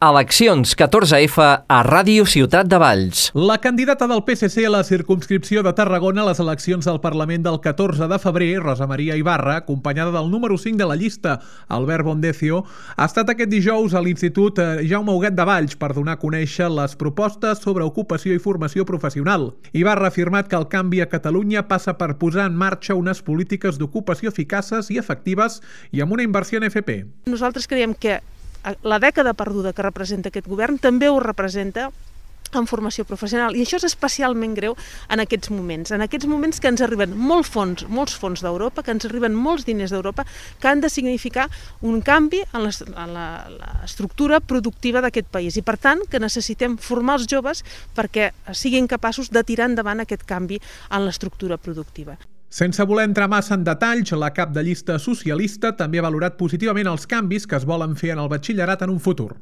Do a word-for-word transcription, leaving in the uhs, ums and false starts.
Eleccions catorze efa a Ràdio Ciutat de Valls. La candidata del P S C a la circumscripció de Tarragona a les eleccions del Parlament del catorze de febrer, Rosa Maria Ibarra, acompanyada del número cinc de la llista, Albert Bondecio, ha estat aquest dijous a l'Institut Jaume Huguet de Valls per donar a conèixer les propostes sobre ocupació i formació professional. Ibarra ha afirmat que el canvi a Catalunya passa per posar en marxa unes polítiques d'ocupació eficaces i efectives i amb una inversió en F P. Nosaltres creiem que la dècada perduda que representa aquest govern també ho representa en formació professional, i això és especialment greu en aquests moments, en aquests moments que ens arriben molts fons, molts fons d'Europa, que ens arriben molts diners d'Europa, que han de significar un canvi en l'estructura productiva d'aquest país, i per tant que necessitem formar els joves perquè siguin capaços de tirar endavant aquest canvi en l'estructura productiva. Sense voler entrar massa en detalls, la cap de llista socialista també ha valorat positivament els canvis que es volen fer en el batxillerat en un futur.